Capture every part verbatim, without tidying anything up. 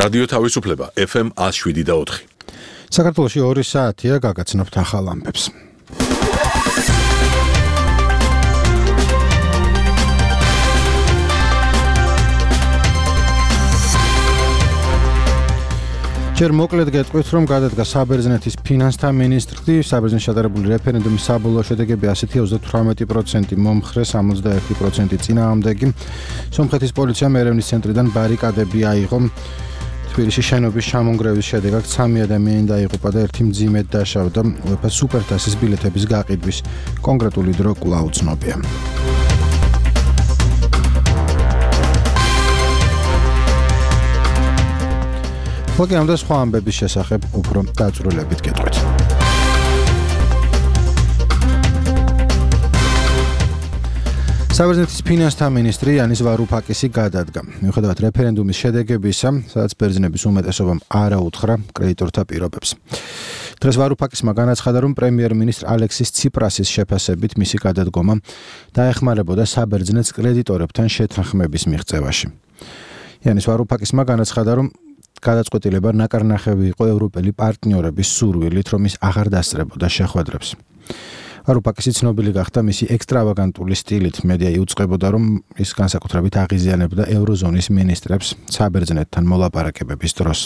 რადიო თავისუფლება ეფ ემ one oh seven და four. საქართველოში ორი საათია გაგაცნობთ ახალ ამბებს. ჯერ მოკლედ გეტყვით, რომ გადადგა საბერძნეთის ფინანსთა მინისტრი, საბერძნეთში ჩატარებული რეფერენდუმის საბოლოო შედეგები ასეთია: ოცდათვრამეტი პროცენტი მომხრე, სამოცდაერთი პროცენტი წინააღმდეგი. სომხეთის პოლიციამ ერევნის ცენტრიდან ბარიკადები აიღო. თბილისში შენობის ჩამონგრევის შედეგად სამი ადამიანი დაიღუპა და ერთი მძიმედ დაშავდა. უეფა სუპერთასის ბილეთების გაყიდვის კონკრეტული დრო კვლავ უცნობია. ხოლმე ამ და სხვა ამბების შესახებ უფრო დაწვრილებით გეტყვით. საბერძნეთის ფინანსთა მინისტრი იანის ვარუფაკისი გადადგა. მიუხედავად რეფერენდუმის შედეგებისა, სადაც ბერძნების უმეტესობამ არ აუთხრა კრედიტორთა პირობებს. დღეს ვარუფაკისმა განაცხადა, რომ პრემიერ-მინისტრ ალექსის ციპრასის შეფასებით მისი გადადგომა დაეხმარებოდა საბერძნეთს კრედიტორებთან შეთანხმების მიღწევაში. იანის ვარუფაკისმა განაცხადა, რომ გადაწყვეტილება ნაკარნახევი იყო ევროპელი პარტნიორების სურვილით, რომ ის აღარ დასწრებოდა შეხვედრებს. ვარუფაკისი ცნობილი გახდა მისი ექსტრავაგანტული სტილით. მედია იუწყებოდა, რომ ის განსაკუთრებით აღიზიანებდა ევროზონის მინისტრებს საბერძნეთთან მოლაპარაკებების დროს.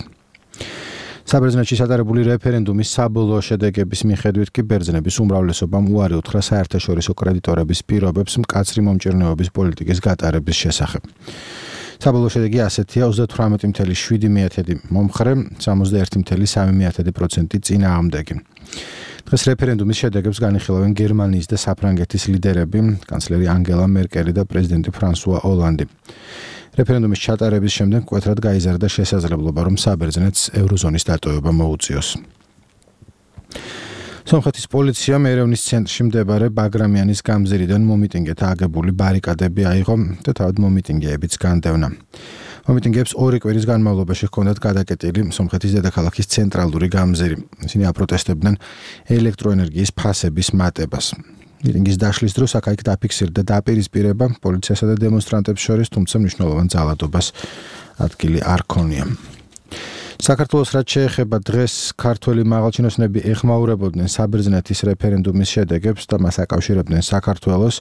საბერძნეთში ჩატარებული რეფერენდუმის საბოლოო შედეგების მიხედვით კი ბერძნების უმრავლესობამ უარი უთხრა საერთაშორისო კრედიტორების პირობებს მკაცრი მომჭირნეობის პოლიტიკის გატარების შესახებ. საბოლოო შედეგი ასეთია: ოცდათვრამეტი წუთი შვიდი მომხრე, სამოცდაერთი წუთი სამი პროცენტი წინააღმდეგი. დღეს რეფერენდუმის შედეგებს განიხილავენ გერმანიის და საფრანგეთის ლიდერები, კანცლერი ანგელა მერკელი და პრეზიდენტი ფრანსუა ოლანდი. რეფერენდუმის ჩატარების შემდეგ მკვეთრად გაიზარდა შესაძლებლობა, რომ საბერძნეთს ევროზონის დატოვება მოუწიოს. სომხეთის პოლიციამ ერევნის ცენტრში მდებარე ბაგრამიანის გამზირიდან მომიტინგეთა აგებული ბარიკადები აიღო და თავად მომიტინგეებიც განდევნა. მომიტინგეებს ორი კვირის განმავლობაში ჰქონდათ გადაკეტილი სომხეთის დედაქალაქის ცენტრალური გამზირი. ისინი აპროტესტებდნენ ელექტროენერგიის ფასების მატებას. მიტინგის დაშლის დროს აქ-იქ დაფიქსირდა დაპირისპირება პოლიციასა და დემონსტრანტებს შორის, თუმცა მნიშვნელოვან ძალადობას ადგილი არ ჰქონია. საქართველოს რაც შეეხება დღეს ქართველი მაღალჩინოსნები ეხმაურებოდნენ საბერძნეთის რეფერენდუმის შედეგებს და მას აკავშირებდნენ საქართველოს.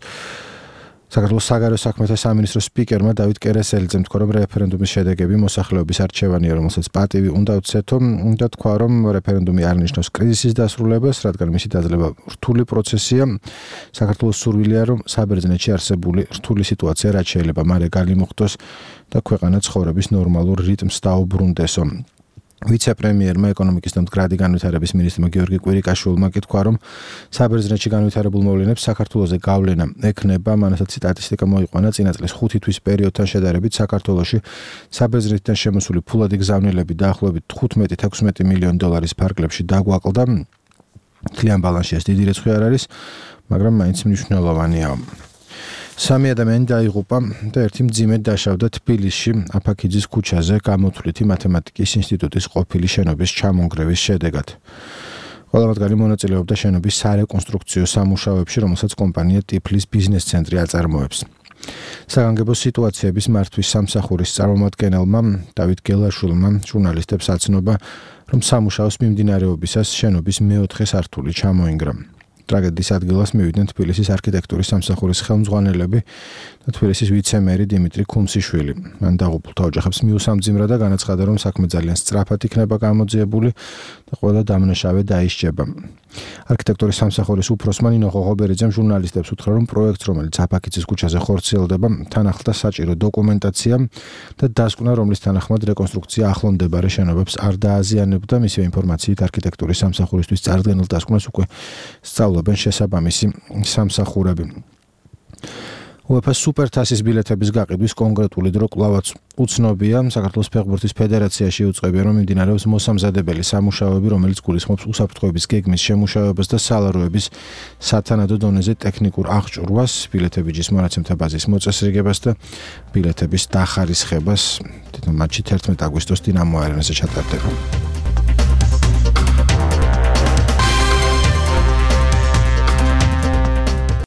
საქართველოს საგარეო საქმეთა სამინისტროს სპიკერმა დავით კერესელიძემ თქვა, რომ რეფერენდუმის შედეგები მოსახლეობის არჩევანია, რომელსაც პატივი უნდა უცეთო და თქვა, რომ რეფერენდუმი არ ნიშნავს კრიზისის დასრულებას, რადგან მისი დაძლევა რთული პროცესია. საქართველოს სურვილია, რომ საბერძნეთში არსებული რთული სიტუაცია რაც შეიძლება მალე განიმუხტოს და ქვეყანა ცხოვრების ნორმალურ რიტმს დაუბრუნდესო. ვიცე-პრემიერმა ეკონომიკის და მდგრადი განვითარების მინისტრმა გიორგი კვირიკაშვილმა კი თქვა, რომ საბერძნეთში განვითარებულ მოვლენებს საქართველოზე გავლენა ექნება. მანასაც სტატისტიკა მოიყვანა წინა წლის ხუთი თვის პერიოდთან შედარებით საქართველოში საბერძნეთიდან შემოსული ფულადი გზავნილები დაახლოებით თხუთმეტი ათექვსმეტი მილიონი დოლარის ფარგლებში დაგვაკლდა. მთლიან ბალანსში ეს დიდი რიცხვი არ არის, მაგრამ მაინც მნიშვნელოვანია. სამი ადამიანი დაიღუპა და ერთი მძიმედ დაშავდა თბილისში აფაქიძის ქუჩაზე გამოთვლითი მათემატიკის ინსტიტუტის ყოფილი შენობის ჩამონგრევის შედეგად. ყველა მათგანი მონაწილეობდა შენობის სარეკონსტრუქციო სამუშაოებში, რომელსაც კომპანია ტიფლის ბიზნეს ცენტრი აწარმოებს. საგანგებო სიტუაციების მართვის სამსახურის წარმომადგენელმა დავით გელაშვილმა ჟურნალისტებს აცნობა, რომ სამუშაოს მიმდინარეობისას შენობის მეოთხე სართული ჩამოინგრა. ტრაგედიის ადგილას მივიდნენ თბილისის არქიტექტურის სამსახურის ხელმძღვანელები და თბილისის ვიცე-მერი დიმიტრი ქუმსიშვილი. მან დაღუპულთა ოჯახებს მიუსამძიმრა და განაცხადა, რომ საქმე ძალიან სწრაფად იქნება გამოძიებული და ყველა დამნაშავე დაისჯება. არქიტექტურის სამსახურის უფროსმა ნინო ღოღობერიძემ ჟურნალისტებს უთხრა, რომ პროექტს, რომელიც აფაქიძის ქუჩაზე ხორციელდება, თან ახლდა საჭირო დოკუმენტაცია და დასკვნა, რომლის თანახმად რეკონსტრუქცია ახლომდებარე შენობებს არ დააზიანებდა. მისივე ინფორმაციით არქიტექტურის სამსახურისთვის წარდგენილ დასკვნას უკვე სწავლობენ შესაბამისი სამსახურები. უეფა სუპერთასის ბილეთების გაყიდვის კონკრეტული დრო კვლავაც უცნობია. საქართველოს ფეხბურთის ფედერაციაში იუწყებია, რომ მიმდინარეობს მოსამზადებელი სამუშაოები, რომელიც გულისხმობს უსაფრთხოების გეგმის შემუშავებას და სალაროების სათანადო დონეზე ტექნიკურ აღჭურვას, ბილეთებიჯის მონაცემთა ბაზის მოწესრიგებას და ბილეთების დახარისხებას. თვითონ მატჩი თერთმეტი აგვისტოს დინამო არენაზე ჩატარდება.